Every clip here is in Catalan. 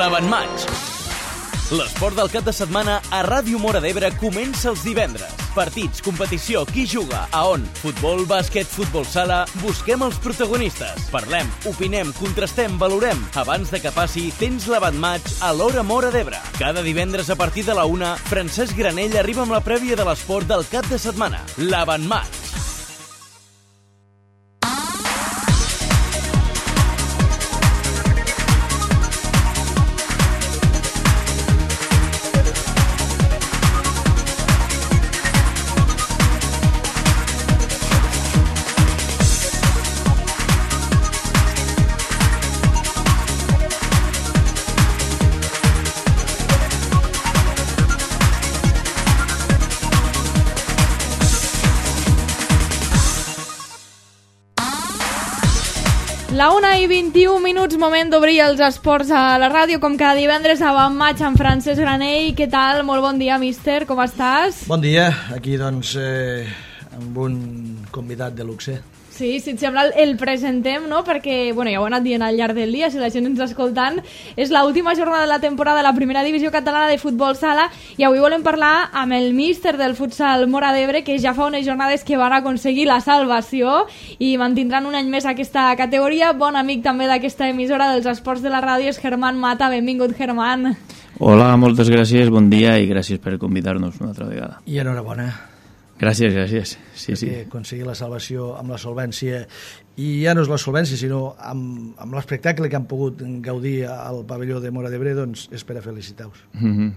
L'Avantmatx. L'esport del cap de setmana a Ràdio Móra d'Ebre comença els divendres. Partits, competició, qui juga, a on? Futbol, bàsquet, futbol sala... Busquem els protagonistes. Parlem, opinem, contrastem, valorem. Abans de que passi, tens l'Avantmatx a l'Hora Móra d'Ebre. Cada divendres a partir de la 1, Francesc Granell arriba amb la prèvia de l'esport del cap de setmana. L'Avantmatx. La 1:21, moment d'obrir els esports a la ràdio, com cada divendres Avantmatx amb Francesc Granell. Què tal? Molt bon dia, míster, com estàs? Bon dia, aquí doncs amb un convidat de luxe. Sí, si et sembla el presentem, no? Perquè, bueno, ja ho he anat dient al llarg del dia, si la gent ens està escoltant, és l'última jornada de la temporada de la primera divisió catalana de futbol sala i avui volem parlar amb el míster del futsal Móra d'Ebre, que ja fa unes jornades que van aconseguir la salvació i mantindran un any més aquesta categoria. Bon amic també d'aquesta emissora dels esports de la ràdio és Germán Mata. Benvingut, Germán. Hola, moltes gràcies, bon dia i gràcies per convidar-nos una altra vegada. I enhorabona. Gràcies. Sí. Aconseguir la salvació amb la solvència, i ja no és la solvència, sinó amb l'espectacle que han pogut gaudir al pavelló de Móra d'Ebre, doncs és per a felicitar-vos.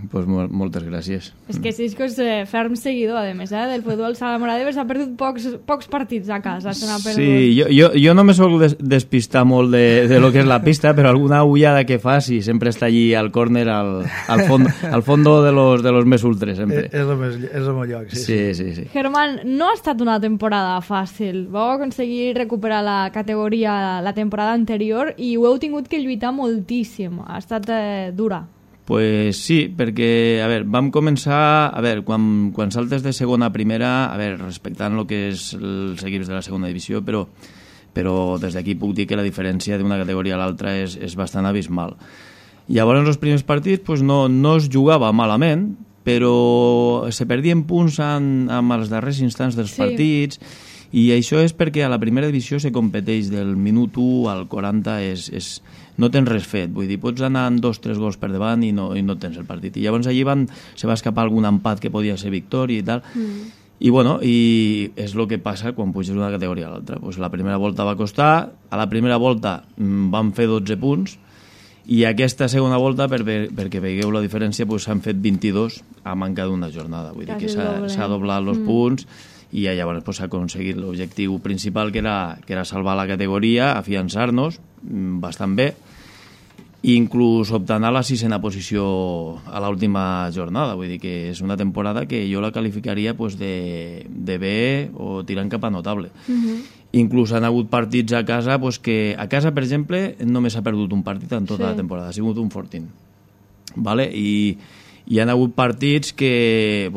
Pues moltes gràcies. És que Cisco és ferm seguidor, a més, del futbol sala Móra d'Ebre. S'ha perdut pocs partits a casa. Sí, jo no me soc despistar molt de lo que és la pista, però alguna ullada que fa, sí, sempre està allí al córner, al fondo de los més ultres, sempre. És el meu lloc, sí. Sí. Germán, no ha estat una temporada fàcil. Vau aconseguir recuperar la categoria la temporada anterior i ho heu tingut que lluitar moltíssim. Ha estat dura. Pues sí, perquè, a veure, vam començar, quan saltes de segona a primera, respectant el que és els equips de la segona divisió, però des d'aquí puc dir que la diferència d'una categoria a l'altra és bastant abismal. Llavors, els primers partits pues, no es jugava malament, però se perdien punts amb els darrers instants dels partits, i això és perquè a la primera divisió se competeix del minut 1 al 40, no tens res fet, vull dir, pots anar amb 2-3 gols per davant i no tens el partit. I llavors allí se va escapar algun empat que podia ser victòria i tal, i és el que passa quan puges d'una categoria a l'altra. Pues la primera volta va costar, a la primera volta vam fer 12 punts, i aquesta segona volta, perquè veieu la diferència, s'han fet 22 a manca d'una jornada. Vull dir que s'ha doblat els punts i llavors s'ha aconseguit l'objectiu principal, que era salvar la categoria, afiançar-nos bastant bé, i inclús optant a la 6a posició a l'última jornada. Vull dir que és una temporada que jo la qualificaria de bé o tirant cap a notable. Inclús han hagut partits a casa que a casa, per exemple, només s'ha perdut un partit en tota la temporada, ha sigut un fortín, vale? I hi han hagut partits que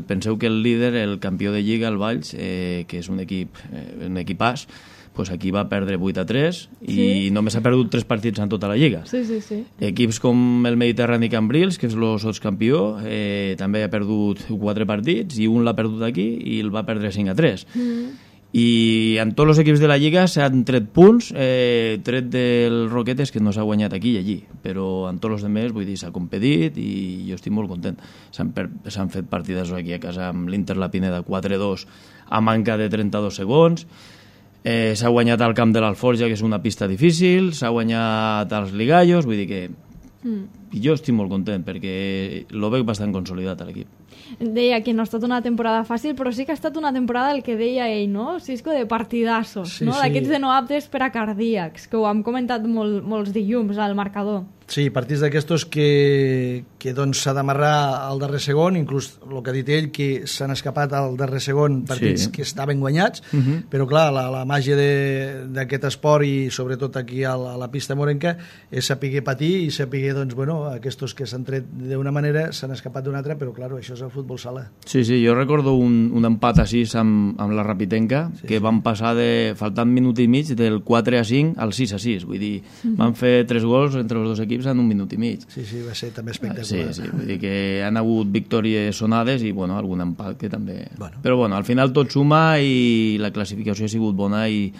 penseu que el líder, el campió de Lliga, el Valls, que és un equipàs, aquí va perdre 8-3 i només ha perdut 3 partits en tota la Lliga. Sí. Equips com el Mediterrani Cambrils, que és el sotscampió, també ha perdut 4 partits i un l'ha perdut aquí i el va perdre 5-3. I en tots els equips de la Lliga s'han tret punts, tret del Roquetes, que no s'ha guanyat aquí i allí, però en tots els altres, vull dir, s'ha competit i jo estic molt content. S'han fet partides aquí a casa amb l'Inter La Pineda 4-2 a manca de 32 segons, s'ha guanyat al camp de l'Alforja, que és una pista difícil, s'ha guanyat als Ligallos, vull dir que jo estic molt content perquè lo veig bastant consolidat a l'equip. Deia que no ha estat una temporada fàcil, però sí que ha estat una temporada, el que deia ell, no? Cisco, de partidassos, no? D'aquests de no aptes per a cardíacs, que ho hem comentat molts dilluns al marcador. Sí, partits d'aquestos que doncs s'ha d'amarrar al darrer segon, inclús el que ha dit ell, que s'han escapat al darrer segon partits que estaven guanyats, però clar, la màgia d'aquest esport i sobretot aquí a la pista morenca és saber patir i saber, doncs, aquests que s'han tret d'una manera s'han escapat d'una altra, però clar, això és el futbol sala. Sí, jo recordo un empat a 6 amb la Rapitenca, que van passar faltant minut i mig del 4-5 al 6-6, vull dir, van fer 3 gols entre els dos equips equips en un minut i mig. Sí, va ser també espectacular. Sí, vull dir que han hagut victòries sonades i, bueno, algun empat que també... Però, bueno, al final tot suma i la classificació ha sigut bona i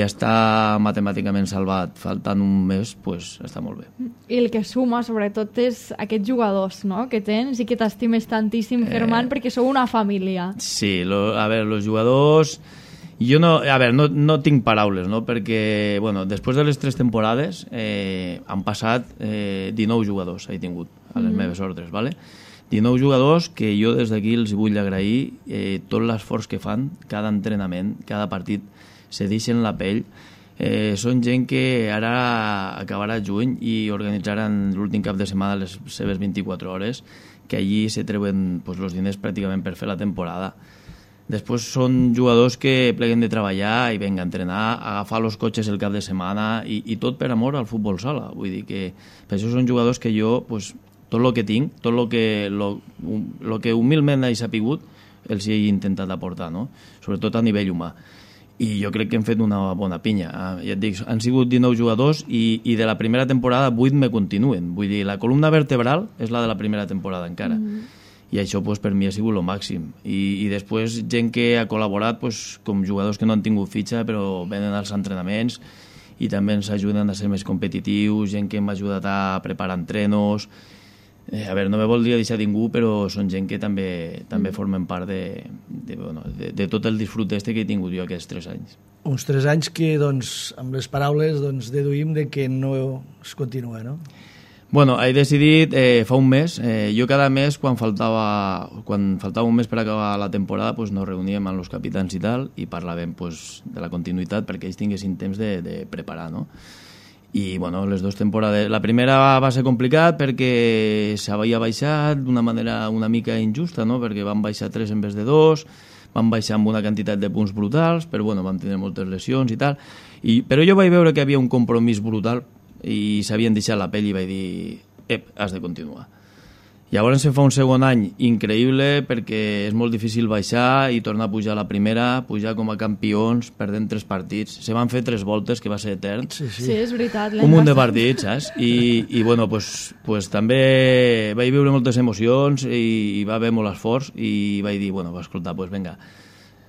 està matemàticament salvat faltant un mes, pues està molt bé. I el que suma, sobretot, és aquests jugadors, no?, que tens i que t'estimes tantíssim, Germán, perquè sou una família. Sí, a veure, els jugadors... Jo no tinc paraules, no?, perquè, bueno, després de les 3 temporades han passat 19 jugadors, he tingut, a les meves ordres, ¿vale? 19 jugadors que jo des d'aquí els vull agrair tot l'esforç que fan, cada entrenament, cada partit, se deixen la pell. Són gent que ara acabarà juny i organitzaran l'últim cap de setmana les seves 24 hores, que allí se treuen els diners pràcticament per fer la temporada. Després són jugadors que pleguen de treballar i venga a entrenar, a agafar els cotxes el cap de setmana i tot per amor al futbol sala. Vull dir que per això són jugadors que jo, tot el que tinc, tot el que humilment he sapigut, els he intentat aportar, no? Sobretot a nivell humà. I jo crec que hem fet una bona pinya. Ja et dic, han sigut 19 jugadors i de la primera temporada 8 me continuen. Vull dir, la columna vertebral és la de la primera temporada encara. I això per mi ha sigut el màxim. I després gent que ha col·laborat com jugadors que no han tingut fitxa però venen als entrenaments i també ens ajuden a ser més competitius, gent que m'ha ajudat a preparar entrenos. A veure, no me voldria deixar ningú, però són gent que també formen part de tot el disfrut que he tingut jo aquests 3 anys. Uns 3 anys que, amb les paraules, deduïm que no es continua, no? Bueno, he decidit fa un mes. Jo cada mes, quan faltava un mes per acabar la temporada, nos reuníem amb els capitans i tal, i parlàvem de la continuïtat perquè ells tinguessin temps de preparar, no? I, bueno, les 2 temporades... La primera va ser complicat perquè s'havia baixat d'una manera una mica injusta, no?, perquè van baixar 3 en vez de 2, van baixar amb una quantitat de punts brutals, però, bueno, van tenir moltes lesions i tal. Però jo vaig veure que hi havia un compromís brutal i s'havien deixat la pell i vaig dir, has de continuar. Llavors se fa un segon any increïble perquè és molt difícil baixar i tornar a pujar a la primera, pujar com a campions, perdent 3 partits. Se van fer 3 voltes, que va ser etern. Sí, és veritat. Un munt de partits, saps? I bueno, també vaig viure moltes emocions i va haver molt esforç i vaig dir, bueno, escolta, vinga,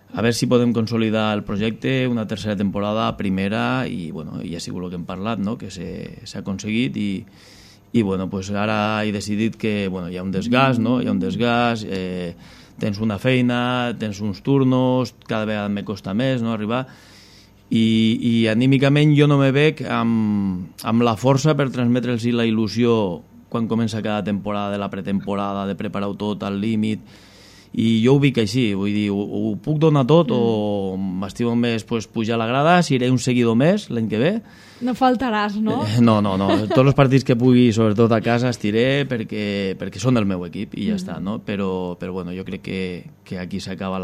a veure si podem consolidar el projecte, una tercera temporada, primera, i bueno, ja ha sigut el que hem parlat, no?, que s'ha aconseguit i bueno, ara he decidit que hi ha un desgast, no? Hi ha un desgast, tens una feina, tens uns turnos, cada vegada me costa més, no?, arribar, i anímicament jo no me veig amb la força per transmetre'ls la il·lusió quan comença cada temporada, de la pretemporada, de preparar-ho tot al límit, i jo ho vic així, vull dir, ho puc donar tot o m'estimo més pujar a la grada, si iré un seguidor més l'any que ve. No faltaràs, no? No. Tots els partits que pugui, sobretot a casa, estiré perquè són el meu equip i ja està, no? Però bueno, jo crec que aquí s'acaba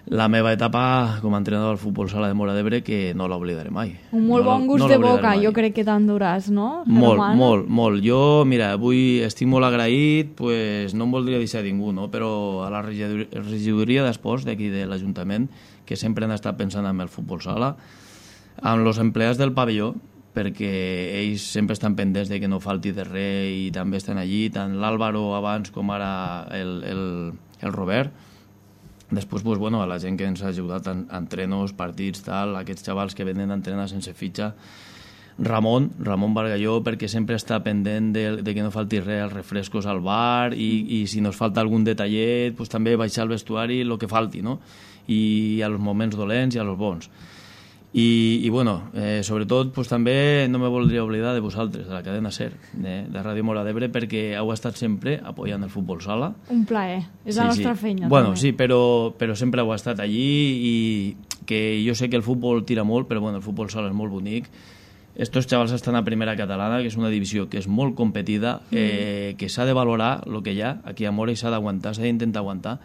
la meva etapa com a entrenador del futbol sala de Móra d'Ebre, que no l'oblidaré mai. Un molt bon gust de boca, jo crec que t'enduràs, no? Molt. Jo, mira, avui estic molt agraït, no em voldria deixar ningú, no? Però a la regidoria d'esports d'aquí de l'Ajuntament, que sempre han estat pensant en el futbol sala, amb els empleats del pavelló, perquè ells sempre estan pendents de que no falti de res i també estan allí, tant l'Àlvaro abans com ara el Robert. Després, a la gent que ens ha ajudat a entrenos, partits, tal, aquests xavals que venen a entrenar sense fitxa, Ramon Bargalló, perquè sempre està pendent de que no falti res, els refrescos al bar i si nos falta algun detallet, també baixar al vestuari el que falti, no? I a los moments dolents i a los bons. I sobretot també no me voldria oblidar de vosaltres, de la cadena SER, de Ràdio Móra d'Ebre, perquè heu estat sempre apoyant el futbol sala. Un plaer, és la nostra feina. Bueno, sí, però sempre heu estat allí i que jo sé que el futbol tira molt, però el futbol sala és molt bonic. Estos xavals estan a primera catalana, que és una divisió que és molt competida, que s'ha de valorar el que hi ha aquí a Móra i s'ha d'aguantar, s'ha d'intentar aguantar,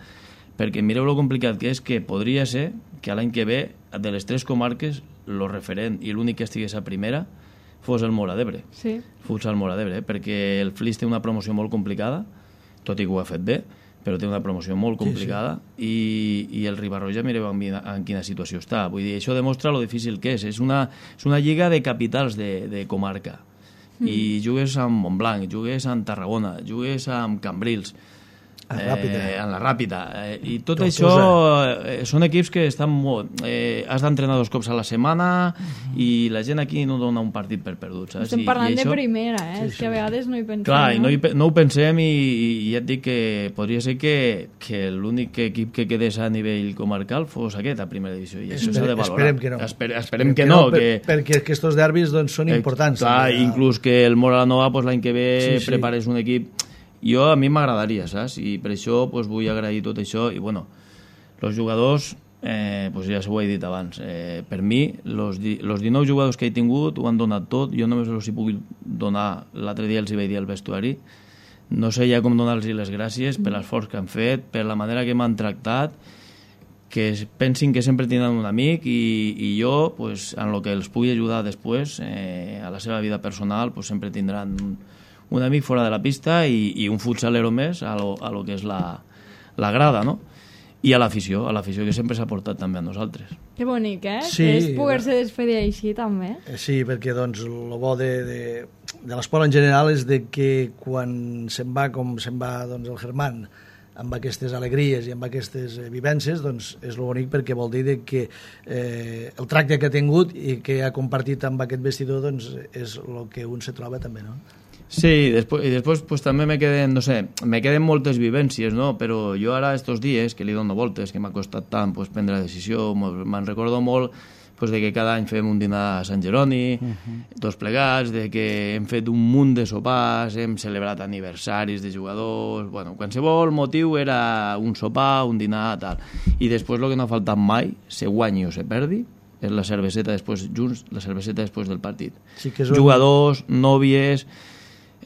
perquè mireu lo complicat que és, que podria ser que l'any que ve, de les 3 comarques, el referent i l'únic que estigués a primera fos el Móra d'Ebre. Sí. Futsal Móra d'Ebre, perquè el Flix té una promoció molt complicada, tot i que ho ha fet bé, però té una promoció molt complicada, i el Ribarroja, mireu en quina situació està. Vull dir, això demostra lo difícil que és. És una lliga de capitals de comarca, i jugues amb Montblanc, jugues amb Tarragona, jugues amb Cambrils, en la Ràpida, i tot això són equips que estan molt... has d'entrenar 2 cops a la setmana i la gent aquí no dona un partit per perdut, saps? Estem parlant de primera, és que a vegades no hi pensem. Clar, i no ho pensem, i ja et dic que podria ser que l'únic equip que quedés a nivell comarcal fos aquest, a primera divisió, i això s'ha de valorar. Esperem que no. Esperem que no. Perquè aquests derbis són importants. Clar, inclús que el Móra la Nova l'any que ve prepares un equip... A mi m'agradaria, saps? I per això vull agrair tot això. I, bueno, els jugadors, ja s'ho he dit abans, per mi, els 19 jugadors que he tingut ho han donat tot. Jo només els hi puc donar, l'altre dia els hi vaig dir al vestuari, no sé ja com donar-los les gràcies per l'esforç que han fet, per la manera que m'han tractat, que pensin que sempre tindran un amic, i jo, en el que els pugui ajudar després, a la seva vida personal, sempre tindran un amic fora de la pista i un futsalero més a lo que és la grada, no? I a l'afició que sempre s'ha portat també a nosaltres. Que bonic, Sí, és poder-se despedir així també. Sí, perquè doncs el bo de l'esport en general és de que quan se'n va com se'n va doncs, el Germán, amb aquestes alegries i amb aquestes vivències, doncs és el bonic, perquè vol dir que el tracte que ha tingut i que ha compartit amb aquest vestidor doncs és el que un se troba també, no? Sí, i després també me queden moltes vivències, no? Però jo ara, estos dies, que li dono voltes, que m'ha costat tant prendre la decisió, me'n recordo molt de que cada any fem un dinar a Sant Jeroni, tots plegats, de que hem fet un munt de sopars, hem celebrat aniversaris de jugadors, qualsevol motiu era un sopar, un dinar, tal. I després el que no ha faltat mai, se guanyi o se perdi, és la cerveseta després del partit. Sí, jugadors, nòvies...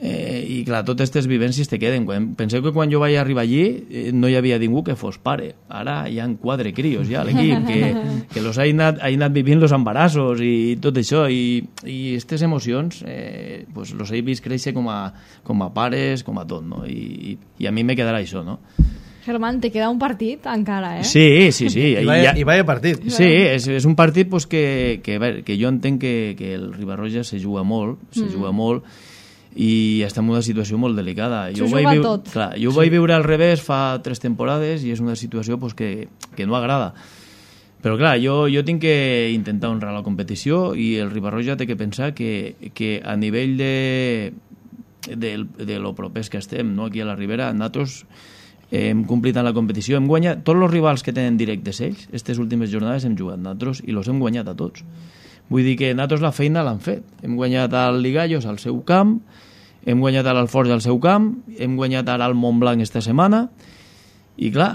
i clar, totes aquestes vivències te queden. Penseu que quan jo vaig arribar allí no hi havia ningú que fos pare. Ara hi ha 4 crios ja a l'equip que los ha anat vivint los embarassos i tot això, i aquestes emocions los he vist créixer com a pares, com a tot, no? I a mi me quedarà això, no? Germán, te queda un partit encara, Sí. I vaya partit. Sí, és un partit que jo entenc que el Riba-roja se juga molt, i està en una situació molt delicada. S'ho juga tot. Clar, jo ho vaig viure al revés fa 3 temporades i és una situació que no agrada. Però clar, jo tinc que intentar honrar la competició, i el Riba-roja té que pensar que a nivell de lo propers que estem, no? Aquí a la Ribera, nosaltres hem complit en la competició, hem guanyat tots els rivals que tenen directes ells. Aquestes últimes jornades hem jugat nosaltres i els hem guanyat a tots. Vull dir que nosaltres la feina l'hem fet. Hem guanyat al Ligallos al seu camp, hem guanyat a l'Alforja al seu camp, hem guanyat ara al Montblanc esta setmana, i clar,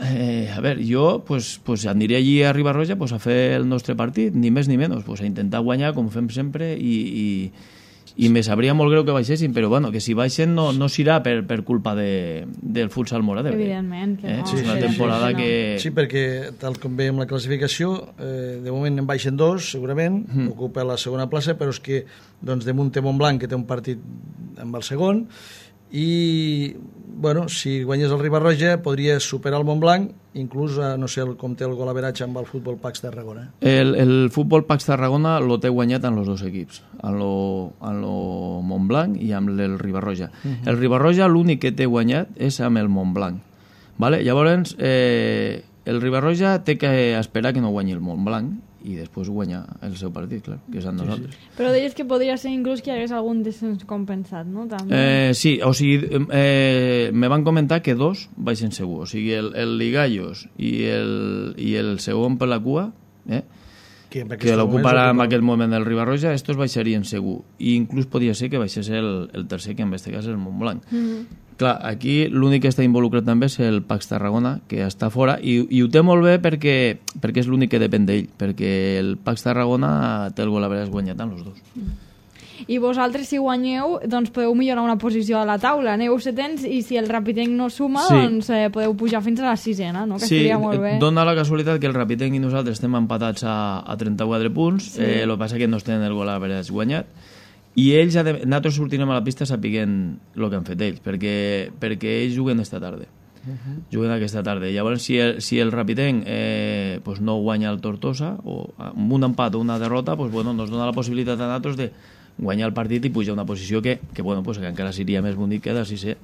jo aniré allí a Riba-roja a fer el nostre partit, ni més ni menys, a intentar guanyar com fem sempre, i me sabria molt greu que baixessin, però que si baixen no serà per culpa del futsal Móra d'Ebre. Evidentment que no. És una temporada que... Sí, perquè tal com veiem la classificació, de moment en baixen 2, segurament, ocupa la segona plaça, però és que damunt té Montblanc, que té un partit amb el segon, i si guanyés el Riba-roja podria superar el Montblanc, inclús no sé com té el golaveratge amb el Futbol Pax Tarragona. El Futbol Pax Tarragona lo té guanyat en els 2 equips, en lo Montblanc i amb el Riba-roja. El Riba-roja l'únic que té guanyat és amb el Montblanc, vale? Llavors el Riba-roja té que esperar que no guanyi el Montblanc i després guanyar el seu partit, clar, que és amb nosaltres. Però deies que podria ser inclús que hi hagués algun descens compensat, no? També. Sí, o sigui, me van comentar que 2 baixen segur, o sigui, el Ligallos i el segon per la cua, que l'ocuparà en aquest moment el Riba-roja, estos baixarien segur, i inclús podria ser que baixés el tercer, que en aquest cas és el Montblanc. Clar, aquí l'únic que està involucrat també és el Pax Tarragona, que està fora, i ho té molt bé perquè és l'únic que depèn d'ell, perquè el Pax Tarragona té el golaveratge guanyat en els 2. I vosaltres, si guanyeu, doncs podeu millorar una posició a la taula. Aneu setens, i si el Rapitenc no suma, doncs podeu pujar fins a la 6ena, no? Que estaria molt bé. Dona la casualitat que el Rapitenc i nosaltres estem empatats a 34 punts, el que passa que no tenen el golaveratge guanyat, i nosaltres sortirem a la pista sapiguent el que han fet ells, perquè ells juguen esta tarda. Juguen aquesta tarda. Llavors, si el Rapitenc no guanya el Tortosa, o amb un empat o una derrota, nos dona la possibilitat a nosaltres de guanyar el partit i pujar a una posició que encara seria més bonic que de sisè.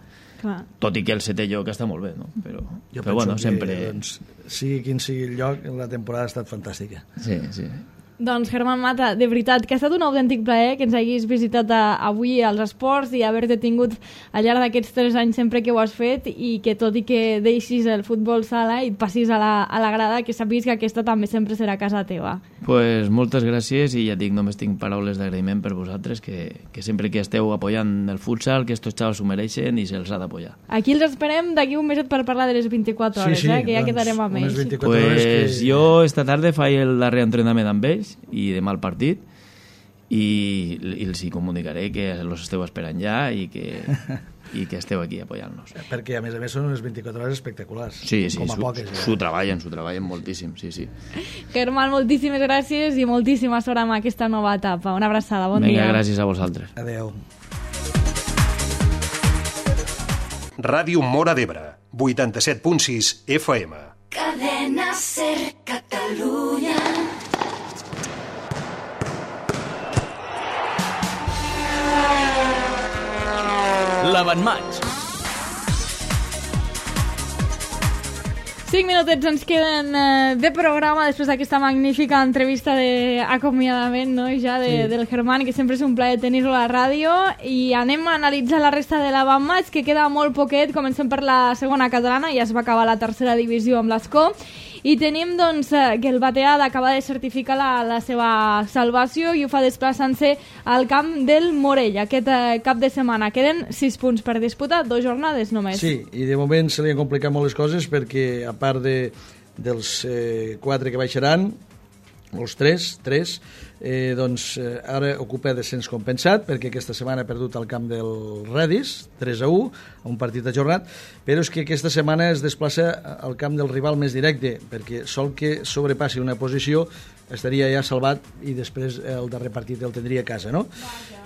Tot i que el setè lloc està molt bé, no? Però bueno, sempre... Doncs, sigui quin sigui el lloc, la temporada ha estat fantàstica. Sí, sí. Doncs, Germán Mata, de veritat, que ha estat un autèntic plaer que ens haguis visitat avui als esports i haver-te tingut al llarg d'aquests 3 anys sempre que ho has fet i que tot i que deixis el futbol sala i et passis a la grada, que sàpiguis que aquesta també sempre serà casa teva. Pues moltes gràcies i ja dic, només tinc paraules d'agraïment per vosaltres, que sempre que esteu apoyant el futsal, que estos xavals s'ho mereixen i se'ls ha d'apoyar. Aquí els esperem d'aquí un meset per parlar de les 24 hores, que ja quedarem amb ells. Pues jo esta tarda faig el darrer entrenament amb ells i demà el partit i els hi comunicaré que els esteu esperant ja i que esteu aquí apoyant-nos. Perquè a més són unes 24 hores espectaculars. Sí, com a poques. S'ho treballen moltíssim, sí. Germán, moltíssimes gràcies i moltíssima sort amb aquesta nova etapa. Una abraçada, bon dia. Vinga, gràcies a vosaltres. Adeu. Ràdio Móra d'Ebre, 87.6 FM. Cadena Ser Catalunya. L'avantmatx. 5 minutets ens queden de programa després d'aquesta magnífica entrevista d'acomiadament, no? Ja del Germán, que sempre és un plaer tenir-lo a la ràdio, i anem a analitzar la resta de l'avantmatx, que queda molt poquet. Comencem per la segona catalana, ja es va acabar la tercera divisió amb l'Escó, i tenim doncs que el Batead acaba de certificar la seva salvació i ho fa desplaçant-se al camp del Morell aquest cap de setmana. Queden 6 punts per disputar, 2 jornades només. Sí, i de moment se li han complicat molt les coses perquè a part dels 4 que baixaran, els 3, doncs ara ocupa descens compensat perquè aquesta setmana ha perdut el camp del Redis 3-1, un partit ajornat, però és que aquesta setmana es desplaça al camp del rival més directe perquè sol que sobrepassi una posició estaria ja salvat i després el darrer partit el tindria a casa, no?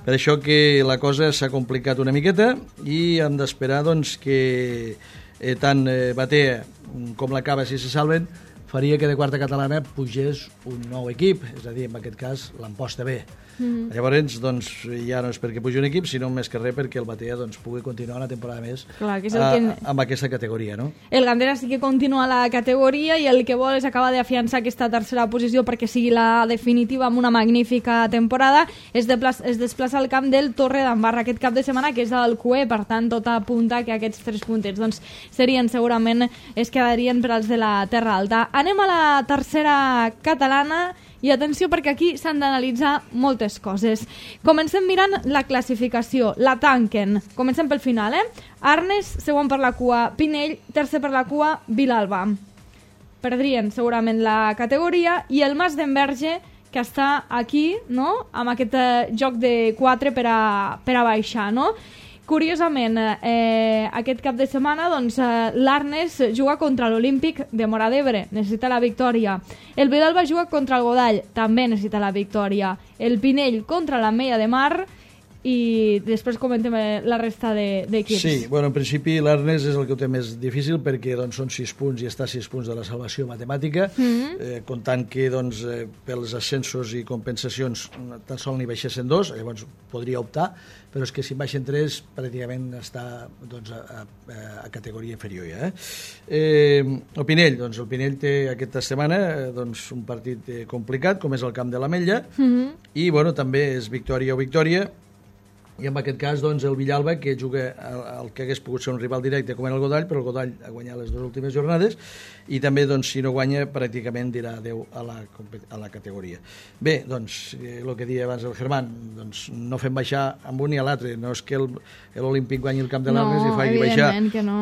Per això que la cosa s'ha complicat una miqueta i hem d'esperar doncs que tant Batea com la Cava, si se salven, faria que de quarta catalana pugés un nou equip, és a dir, en aquest cas l'Amposta B. Llavors, doncs, ja no és perquè pugi un equip, sinó més que res perquè el Batea doncs, pugui continuar una temporada més. Clar, que és el amb aquesta categoria, no? El Gandera sí que continua la categoria i el que vol és acabar d'afiançar aquesta tercera posició perquè sigui la definitiva amb una magnífica temporada. Es desplaça al camp del Torre d'Embarra aquest cap de setmana, que és del CUE, per tant, tot apunta que aquests 3 puntets doncs, serien segurament, es quedarien per als de la Terra Alta. Anem a la tercera catalana i atenció perquè aquí s'han d'analitzar moltes coses. Comencem mirant la classificació, la tanquen. Comencem pel final, Arnes, segon per la cua, Pinell, tercer per la cua, Vilalba. Perdrien segurament la categoria i el Mas d'Enverge, que està aquí, no?, amb aquest joc de 4 per a baixar, no? Curiosament, aquest cap de setmana doncs, l'Arnes juga contra l'Olímpic de Móra d'Ebre, necessita la victòria. El Vilalba juga contra el Godall, també necessita la victòria. El Pinell contra l'Ametlla de Mar i després comentem la resta d'equips. Sí, bueno, en principi l'Arnes és el que ho té més difícil perquè doncs, són 6 punts i està a 6 punts de la salvació matemàtica, comptant que doncs, pels ascensos i compensacions tan sols n'hi baixessin 2, llavors podria optar, però és que si en baixen 3 pràcticament està doncs, a categoria inferior ja. El Pinell, doncs, el Pinell té aquesta setmana doncs, un partit complicat com és el camp de l'Ametlla i bueno, també és victòria o victòria. I en aquest cas, doncs, el Villalba, que juga el que hagués pogut ser un rival directe com era el Godall, però el Godall ha guanyat les 2 últimes jornades i també, doncs, si no guanya, pràcticament dirà adeu a la categoria. Bé, doncs, el que deia abans el Germán, doncs, no fem baixar amb un ni a l'altre, no és que l'Olímpic guanyi el camp de l'Arnes i faci baixar,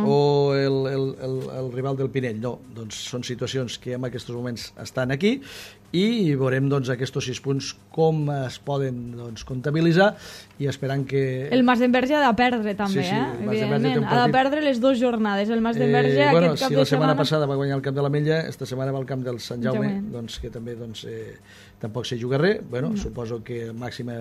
o el rival del Pinell, no, doncs són situacions que en aquests moments estan aquí i veurem doncs, aquests 6 punts com es poden doncs, comptabilitzar i esperant que... El Mas d'Enverge ha de perdre també, evidentment. Ha de perdre les 2 jornades. El Mas d'Enverge aquest cap de setmana... Si la setmana passada va guanyar el camp de l'Ametlla, esta setmana va al camp del Sant Jaume, doncs, que també doncs, tampoc se juga res. Bueno, suposo que màxima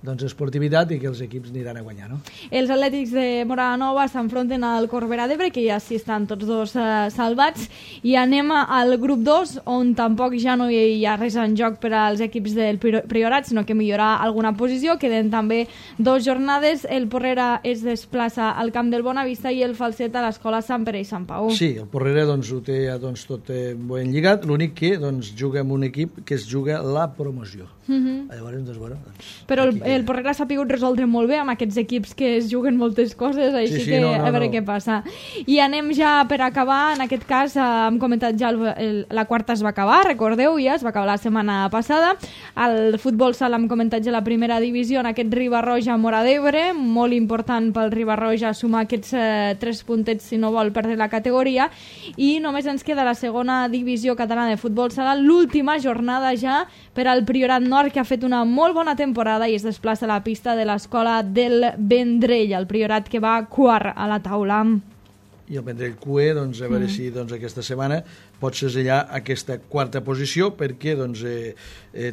doncs, esportivitat i que els equips aniran a guanyar, no? Els Atlètics de Móra Nova s'enfronten al Corbera d'Ebre, que ja sí estan tots dos salvats, i anem al grup 2, on tampoc ja no hi ha res en joc per als equips del Priorat, sinó que millorar alguna posició. Queden també 2 jornades. El Porrera es desplaça al camp del Bonavista i el Falset a l'escola Sant Pere i Sant Pau. Sí, el Porrera doncs, ho té doncs, tot ben lligat, l'únic que doncs, juga amb un equip que es juga la promoció. Llavors, doncs, bueno, però el Porrera s'ha pogut resoldre molt bé amb aquests equips que es juguen moltes coses, així que a veure què passa. I anem ja per acabar. En aquest cas hem comentat ja la quarta es va acabar, recordeu, ja es va acabar la setmana passada. El futbol sala hem comentat ja la primera divisió en aquest Riba-roja Móra d'Ebre, molt important pel Riba-roja sumar aquests 3 puntets si no vol perdre la categoria, i només ens queda la segona divisió catalana de futbol sala, l'última jornada ja per al Priorat Nord, que ha fet una molt bona temporada i es desplaça a la pista de l'escola del Vendrell, el Priorat que va quart a la taula. I el Vendrell QE, doncs, a veure si doncs, aquesta setmana pot segellar aquesta quarta posició, perquè doncs,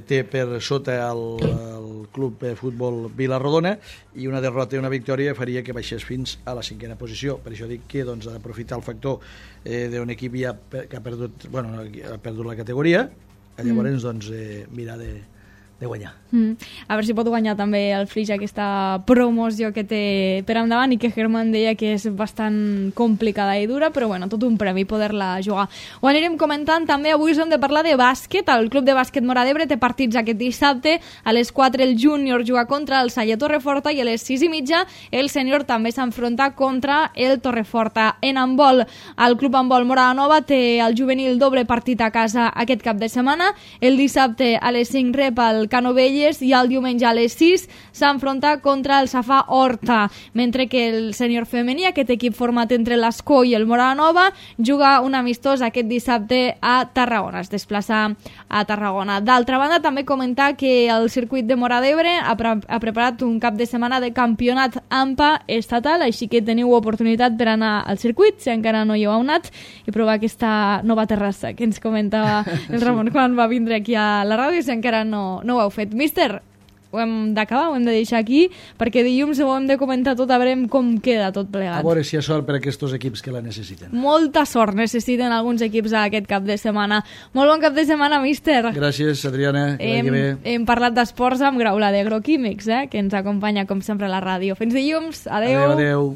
té per sota el club de futbol Vila-rodona, i una derrota i una victòria faria que baixés fins a la 5a posició. Per això dic que doncs, ha d'aprofitar el factor d'un equip ja que ha perdut la categoria, llavors doncs, mirar de guanyar. A veure si pot guanyar també el Flix aquesta promoció que té per endavant, i que Germán deia que és bastant complicada i dura, però bueno, tot un premi poder-la jugar. Ho anirem comentant també. Avui us hem de parlar de bàsquet. El Club de Bàsquet Móra d'Ebre té partits aquest dissabte. A les 4 el júnior juga contra el Salle Torreforta i a les 6:30 el sènior també s'enfronta contra el Torreforta. En handbol, el Club Handbol Móra Nova té el juvenil doble partit a casa aquest cap de setmana. El dissabte a les 5 rep el Canovelles i el diumenge a les 6 s'enfronta contra el Safà Horta, mentre que el sènior femení, aquest equip format entre l'Escó i el Móra Nova, juga un amistós aquest dissabte a Tarragona, es desplaça a Tarragona. D'altra banda, també comentar que el circuit de Móra d'Ebre ha preparat un cap de setmana de campionat AMPA estatal, així que teniu oportunitat per anar al circuit, si encara no hi heu anat, i provar aquesta nova terrassa que ens comentava el Ramon quan va vindre aquí a la ràdio, si encara no ho heu fet. Míster, ho hem d'acabar, ho hem de deixar aquí, perquè dilluns ho hem de comentar tot, a veure com queda tot plegat. A veure si hi ha sort per a aquests equips que la necessiten. Molta sort necessiten alguns equips aquest cap de setmana. Molt bon cap de setmana, míster. Gràcies, Adriana. Hem parlat d'esports amb Graula d'Agroquímics, que ens acompanya com sempre a la ràdio. Fins dilluns. Adeu. Adeu.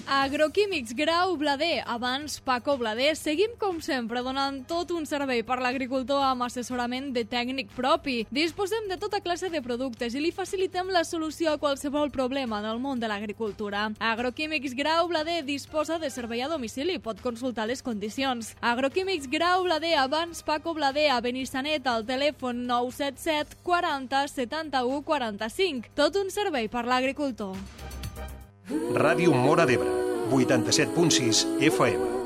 Agroquímics Grau Blader, abans Paco Blader. Seguim com sempre donant tot un servei per l'agricultor amb assessorament de tècnic propi. Disposem de tota classe de productes i li facilitem la solució a qualsevol problema en el món de l'agricultura. Agroquímics Grau Blader disposa de servei a domicili, pot consultar les condicions. Agroquímics Grau Blader, abans Paco Blader, a Benissanet, al telèfon 977 40 71 45. Tot un servei per l'agricultor. Ràdio Móra d'Ebre, 87.6 FM.